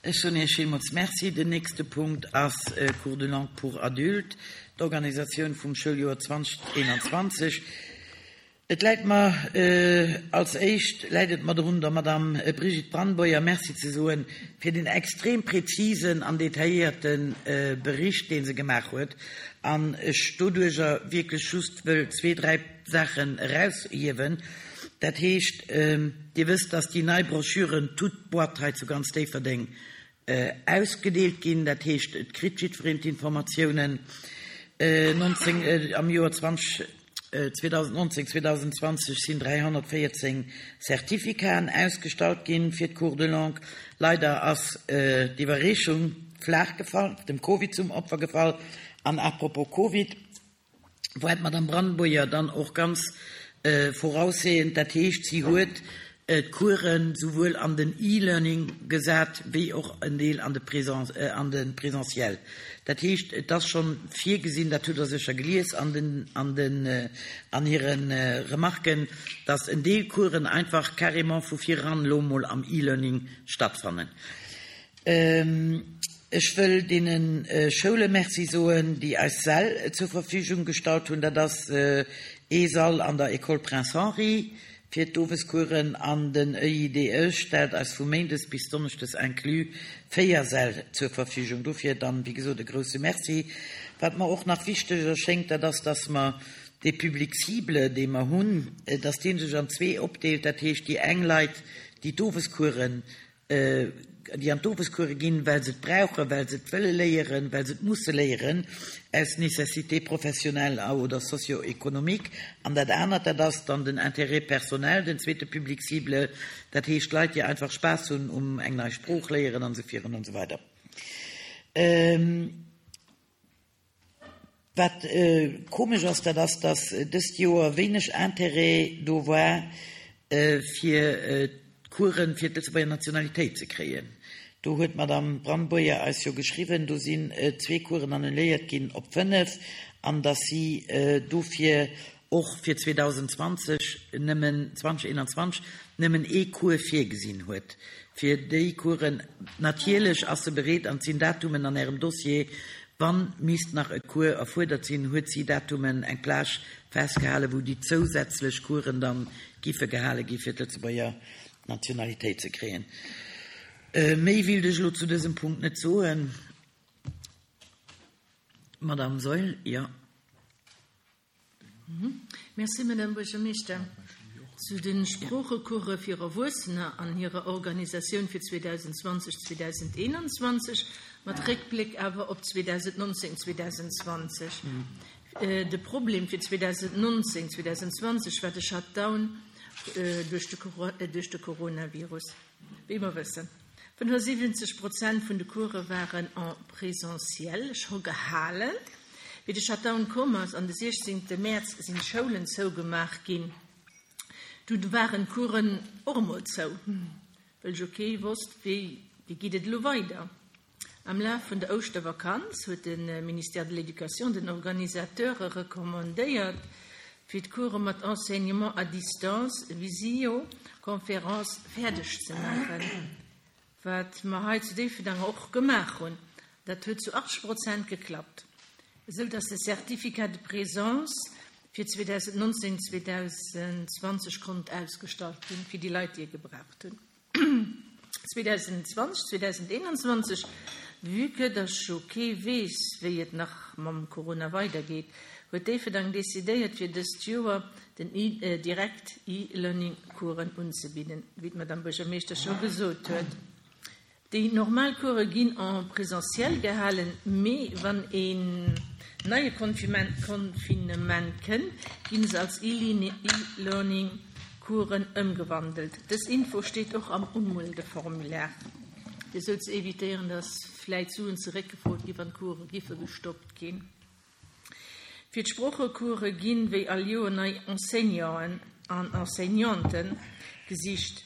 Ech soen Iech villmools Merci. Den nächste Punkt ass Cours de langue pour adultes, d'Organisatioun vum Schouljoer 2021. Et läit mer als éischt läit et mer drun, der Madame Brigitte Brandboyer Merci ze soen fir den extrem präzisen an detailléierte Bericht, dee se gemaach huet, an ech doduerjer wierklech just wëll zwee, dräi Saachen eraushiewen. Dat heescht, Dir wësst, dass déi nei Broschüren toute boîte hei zu ganz Déifferdeng ausgedeelt ginn. Dat heescht, et kritt jiddwereen d'Informatiounen. 19, am Joer 20, 2019, 2020 sinn 314 Certificaten ausgestallt ginn fir d'Cours de langue. Leider ass d'Iwwerreechung flaach gefall, dem Covid zum Opfer gefall. An à propos Covid, war d'Madame Brandeboyer dann och ganz voraussehend, dat heescht, si huet d'Coursen souwuel an den E-Learning gesat wéi och en Deel an de an de Présentiel. Dat heescht, et ass schonn virgesinn, dat hutt Der sécher gelies an den an den an hire Remarken, dass en Deel Coursen einfach carrément vu vireran elo emol am E-Learning stattfannen. Ech wëll deene Schoule Merci soen, déi eis Säll zur Verfügung gestallt hunn. Dat ass ee Sall an der École Prince Henri fir d'Owescoursen an den EIDE stellt eis vu méindes bis donneschdes inclus 4 Säll zur Verfügung. Dofir dann, wéi gesot, e grouse Merci. Wat mer och nach wichteg erschéngt, dat ass, dass mer dee Public cible, dee mer hunn, dass dee sech an zwee opdeelt. Dat heescht, déi eng Leit, déi d'Owescoursen déi an d'Owescourse ginn, well se et brauchen, well se et wëlle léieren, well se et musse léieren, aus Nécessité professionnelle oder socio-économique. An dat anert, dat ass dann den Intérêt personnel, den zweete Public cible, dat heescht Leit, déi einfach Spaass hunn um eng nei Sprooch léieren an esou virun an esou weider. Wat komesch ass, dat ass, datt dëst Joer wéineg Intérêt do war, fir d'Coursen fir d'Lëtzebuerger Nationalitéit ze kréien. Do huet d'Madame Brandboyer eis jo geschriwwen, do sinn zwee Coursen annuléiert ginn op fënnef, an datt si dofir och fir 2020 nëmmen, 2021 nëmmen ee Cours virgesinn huet fir déi Coursen. Natierlech ass se bereet, an et sinn Datumen an Ärem Dossier, wann misst nach e Cours erfuerdert sinn, huet si Datumen, eng Plage festgehalen, wou déi zousätzlech Coursen dann giffe gehale gi fir d'Lëtzebuerger Nationalitéit ze kréien. Méi willt ech elo zu dësem Punkt net soen. Madame Saeul, jo. Merci, Madame Buergermeeschter. Zu de Sproochecourse fir Erwuessener an hirer Organisatioun fir 2020, 2021, mat Réckbléck awer op 2019, 2020. De Problem fir 2019, 2020 war de Shutdown duerch de Coronavirus, wéi mer wëssen. 75 Prozent vun de Course waren en présentiel scho gehalen. Wéi de Shutdown komm ass an de 16 Mäerz sinn d'Schoulen zougemaach ginn. Dunn waren d'Coursen och emol zou, wëll jo kee wosst, wéi geet et elo weider. Am Laf vun der Ouschtervakanz huet de Ministère de l'Éducation den Organisateure recommandéiert, fir d'Course mat Enseignement à distance, Visioconférence, fäerdeg ze maachen, wat mer hei zu Déifferdang och gemaach hunn. Dat huet zu 80 Prozent geklappt, esou dass de Certificat de présence fir 2019, 2020 konnt ausgestallt ginn, fir déi Leit, déi e gebraucht hunn. 2020, 2021, vue que dass jo kee weess, wéi et nach mam Corona weidergeet, huet Déifferdang decidéiert, fir dëst Joer den direkt E-Learning-Coursen unzebidden, wéi d'Madame Buergermeeschter scho gesot huet. Déi normal Course ginn en présentiel gehalen, mee wann een neie Confinement kënnt, ginn se als E-Learning Coursen ëmgewandelt. Dës Info steet och am Umeldeformulaire, fir esou ze evitéieren, dass vläit Suen zeréckgefrot ginn, wann d'Course giffe gestoppt ginn. Fir d'Sproochecourse ginn, wéi all Joer, nei Enseignanten an Enseignanten gesicht.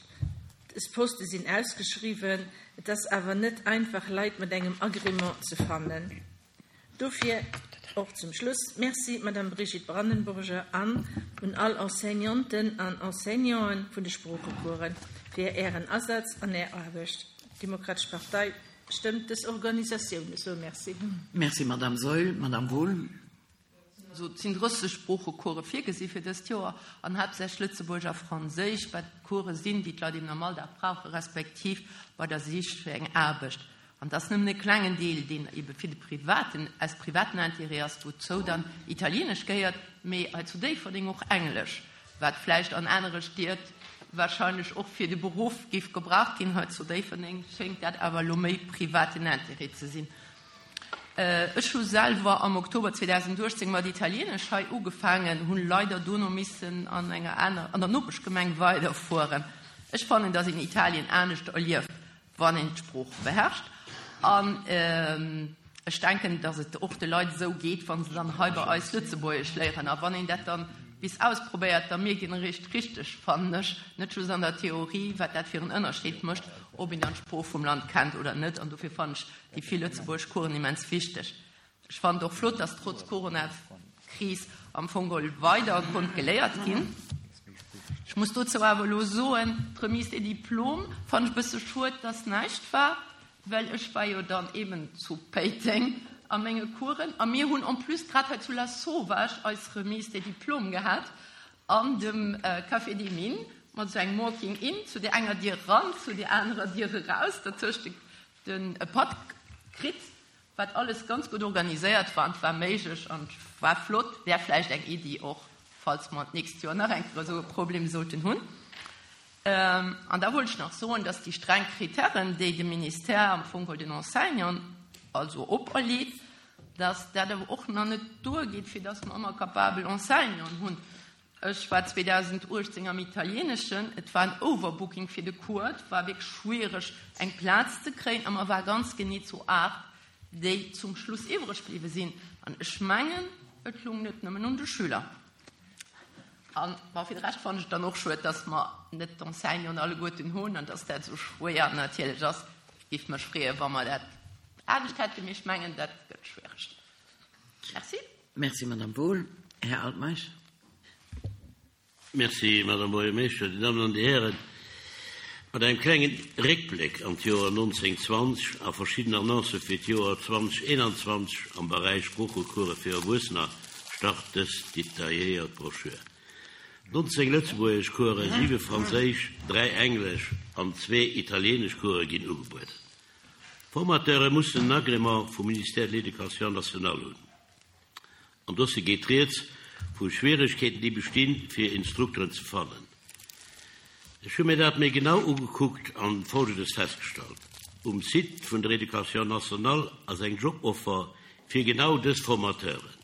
Dës Poste sinn ausgeschriwwen, et ass awer net einfach, Leit mat engem Agrément ze fannen. Dofir och zum Schluss Merci, Madame Brigitte Brandenburger, an un all Enseignanten an Enseignanten vun de Sproochecoursen fir Ären Asaz an Är Aarbecht. D'Demokratesch Partei stëmmt dës Organisatioun esou. Merci. Merci, Madame Saeul. Madame Wohl. Also et sinn 30 Sproochecourse virgesi fir dëst Joer an haaptsächlech Lëtzebuergesch a Franséisch, wat Course sinn, déi d'Leit eben am Alldag brauchen, respektiv bei der Sich fir eng Aarbecht. An et ass nëmmen e klengen Deel, deen ebe fir de privaten, aus privaten Intérêt ass, wouzou dann Italienesch gehéiert, mee hei zu Déifferdeng och Englesch, wat vläicht an anere Stied wahrscheinlech och fir de Beruff géif gebraucht ginn. Hei zu Déifferdeng schéngt dat awer elo méi privaten Intérêt ze sinn. Ech hu selwer am Oktober 2018 mat Italienesch hei ugefaangen, hunn leider dono missen an enger aner, an der Nopeschgemeng weiderfueren. Ech fannen, dass een Italien anescht erlieft, wann een d'Sprooch beherrscht. An ech denken, dass et och de Leit esou geet, wa se dann hei bei eis Lëtzebuergesch léieren. A wann een dat dann bis ausprobéiert, da mierkt een eréischt richteg, fannen ech, net just an der Theorie, wat dat fir en Ënnerscheed mécht, ob een dann d'Sprooch vum Land kennt oder net. An dofir fannen ech déi vill lëtzebuergesch Coursen immens wichteg. Ech fannen et och flott, dass trotz Corona-Kris am Fong geholl weider konnt geléiert ginn. Ech muss dozou awer elo soen, d'Remise des diplômes fannen ech e bësse schued, dass näischt war, well ech war jo dann eben zu Péiteng a menge Coursen a mir hunn en plus grad hei zu Lasauvage eis Remise des diplômes gehat an dem Café des Mines mat esou engem Walking-in, zu där enger Dier eran, zu där anerer Dier eraus, dertëscht den e Patt kritt, wat alles ganz gutt organiséiert war an et war méiglech an et war flott. Wär vläicht eng Iddi och, falls mer d'nächst Joer nach eng Kéier esou e Problem sollten hunn. An da wollt ech nach soen, dass déi streng Kritären, déi de Ministère am Fong geholl den Enseignanten also operleet, dass dat awer och nach net duergeet, fir dass mer ëmmer capabel Enseignanten hunn. Ech war 2018 am Italieneschen, et war en Overbooking fir de Cours, et war wierklech schwiereg eng Plaz ze kréien a mer war ganz genee zu 8, déi zum Schluss iwwreg bliwwe sinn. An ech mengen, et lung net nëmmen un de Schüler. An bon, fir de Rescht fannen ech et dann och schued, dass mer net d'Enseignanten alleguerten hunn an dass dat esou schwéier natierlech ass. Et géif mech freeën, wa mer dat anescht hätten, mee ech mengen, dat gëtt schwiereg. Merci. Merci, Madame Wohl. Här Altmeisch. Merci, Madame Buergermeeschter. Dir Dammen an Dir Hären, mat engem klengen Réckbléck an d'Joer 1920 a verschidden Annoncë fir d'Joer 2021 am Beräich Sproochecourse fir Erwuessener start dës detailléiert Broschür. 19 lëtzebuergesch Coursen, siwe franséisch, dräi englesch an zwee italieenesch Course ginn ugebueden. D'Formateure mussen en Agrément vum Ministère de l'Éducation nationale hunn. Am Dossier geet rieds vu Schwieregkeeten, déi bestinn, fir Instrukteren ze fannen. Ech hu mir dat méi genau ugekuckt an Folgendes festgestallt, Um Site vun der Éducation nationale ass eng Joboffer fir genau dës Formateuren.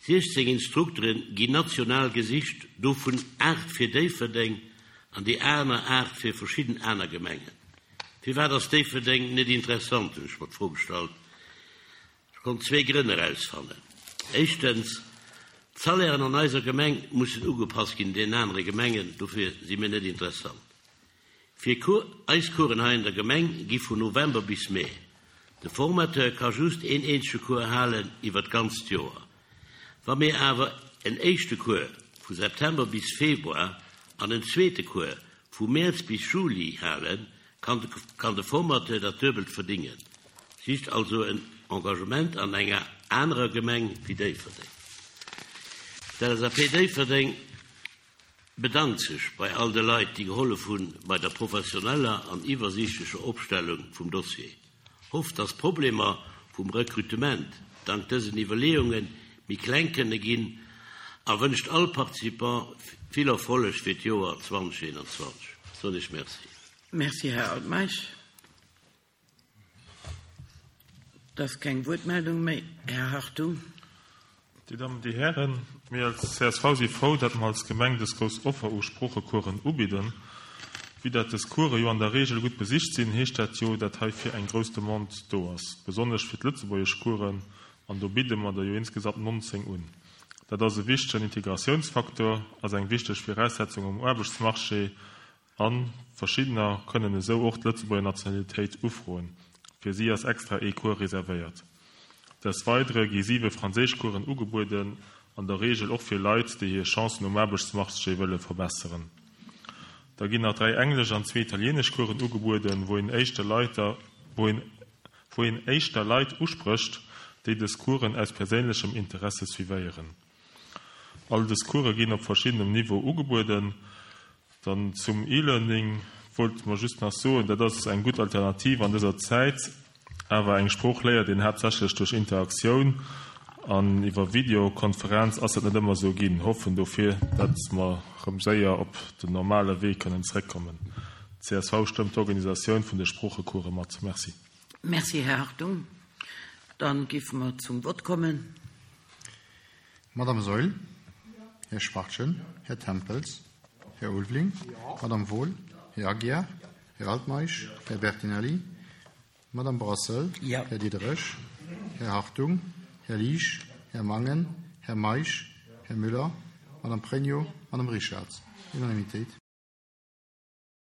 16 Instruktere ginn national gesicht, dovun 8 fir Déifferdeng an déi aner 8 fir verschidden aner Gemengen. Firwat ass Déifferdeng net interessant, hunn ech mer d'Fro gestallt. Ech konnt zwee Grënn erausfannen. Éischtens, d'Salairen an eiser Gemeng mussen ugepasst ginn un deenen anere Gemengen, dofir si mir net interessant. Fir eis Coursen hei an der Gemeng gi vun November bis Mee. De Formateur ka just een eenzege Cours halen iwwer d'ganzt Joer. Wa mir awer en éischte Cours vu September bis Februar an en zweete Cours Vu Mäerz bis Juli halen, kann de Formateur dat Duebelt verdingen. Sicht also en Engagement an enger anerer Gemeng wéi Déifferdeng. D'LSAP Déifferdeng bedankt sech bei all de Leit, déi gehollef hunn bei der professioneller an iwwersiichtlecher Opstellung vum Dossier. Hofft, dass d'Problemer vum Rekrutement dank dësen Iwwerleeunge méi kleng kënne ginn a wënscht all Participant vill Erfolleg fir d'Joer 2021. Soen ech Merci. Merci, Här Altmeisch. Et ass keng Wuertmeldung méi. Här Hartung. Dir Dammen, Dir Hären, mir als csv si frou, datt mer als Gemeng dës grouss Offer u Sproochecoursen ubidden. Vue dat dës Course jo an der Regel gutt besicht sinn, heescht dat jo, dat heifir eng grouss Demande do ass, besonnesch fir d'Lëtzebuergeschcoursen, an do bidde mer der jo insgesamt 19 un. Dat ass e wichtegen Integratiounsfaktor, ass eng wichteg Viraussetzung um Aarbechtsmarché A verschiddener kënnen esou och d'Lëtzebuerger Nationalitéit ufroen. Fir si ass extra ee Cours reservéiert. Des Weidere gi siwe Franséischcoursen ugebueden, an der Reegel och fir Leit, déi hir Chancen um Aarbechtsmarché wëlle verbesseren. Da ginn nach 3 englesch an zwee italienesch Coursen ugebueden, wou een éischter Leiter, wou een, wou een éischter Leit usprécht, déi dës Coursen aus perséinlechem Interesse suivéieren. All dës Course ginn op verschiddenem Niveau ugebueden. Dann zum E-Learning wollt mer just nach soen, dat ass eng gutt Alternativ an dëser Zäit, awer eng Sprooch léiert een haaptsächlech duerch Interaktioun an iwwer Videokonferenz ass dat net ëmmer esou ginn. Hoffen dofir, dat mer rëm séier op den normale Wee kënnen zréckkommen. Csv stëmmt d'Organisatioun vun de Sproochecourse mat. Merci. Merci, Här Hartung. Dann géife mer zum Vott kommen. Madame Saeul, Här Schwachtgen, Här Tempels, Här Ulveling, Madame Wohl, Här Aguiar, Här Altmeisch, Här Bertinelli, Madame Brassel, Här Diderich, Här Hartung, Här Liesch, Här Mangen, Här Meisch, Här Müller, Madame Pregno, Madame Richarz. Unanimitéit.